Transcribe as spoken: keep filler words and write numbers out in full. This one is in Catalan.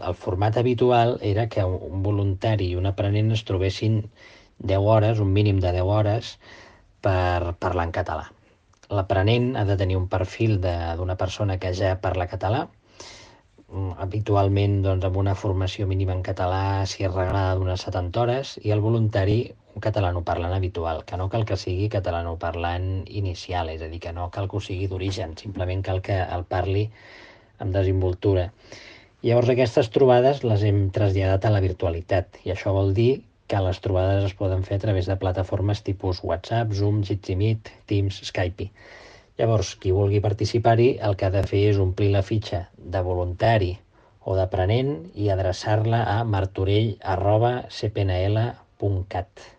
el format habitual era que un voluntari i un aprenent es trobessin deu hores, un mínim de deu hores, per parlar en català. L'aprenent ha de tenir un perfil d'una persona que ja parla català, habitualment doncs, amb una formació mínima en català, si és reglada, d'unes setanta hores, i el voluntari un catalanoparlant habitual, que no cal que sigui catalanoparlant inicial, és a dir, que no cal que ho sigui d'origen, simplement cal que el parli amb desimboltura. Llavors aquestes trobades les hem traslladat a la virtualitat, i això vol dir que les trobades es poden fer a través de plataformes tipus WhatsApp, Zoom, Jitsi Meet, Teams, Skype. Llavors, qui vulgui participar-hi, el que ha de fer és omplir la fitxa de voluntari o d'aprenent i adreçar-la a martorell arroba c p n l punt cat.